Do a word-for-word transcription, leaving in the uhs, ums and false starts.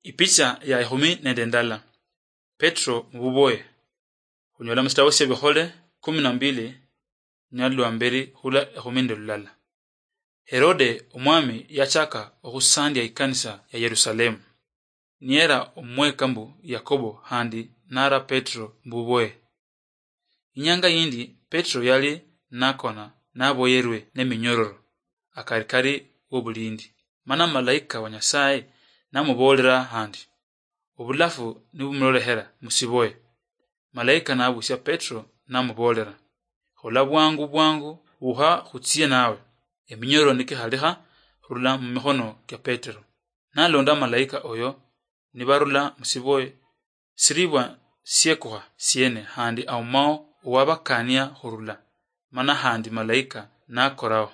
Ipicha ya ekhumi nende ndala. Petro mububoye. Khunyola musitabo sya Bikhole kumi na mbili, nyalwa mberi hula ekhumi nende lulala. Herode omwami yachaka okhusandia ikanisa ya Yerusalemu. Niyera omweka mbu Yakobo handi nara Petro mbuboye. Inyanga yindi Petro yali nakona naboyerwe neminyororo akarikari wobulindi. Mana malaika wa Nyasaye namubolera handi, obulafu nibumulolehera musiboye. Malaika nabusia Petro namubolera, "Khola bwangu bwangu, uha khutsie nawe. Eminyororo nikikhalikha khurula mumikhono kia Petro." Nalonda malaika oyo, nibarula musiboye, siribwa siekukha siene handi aumao owabakania khurula, mana handi malaika nakoraho.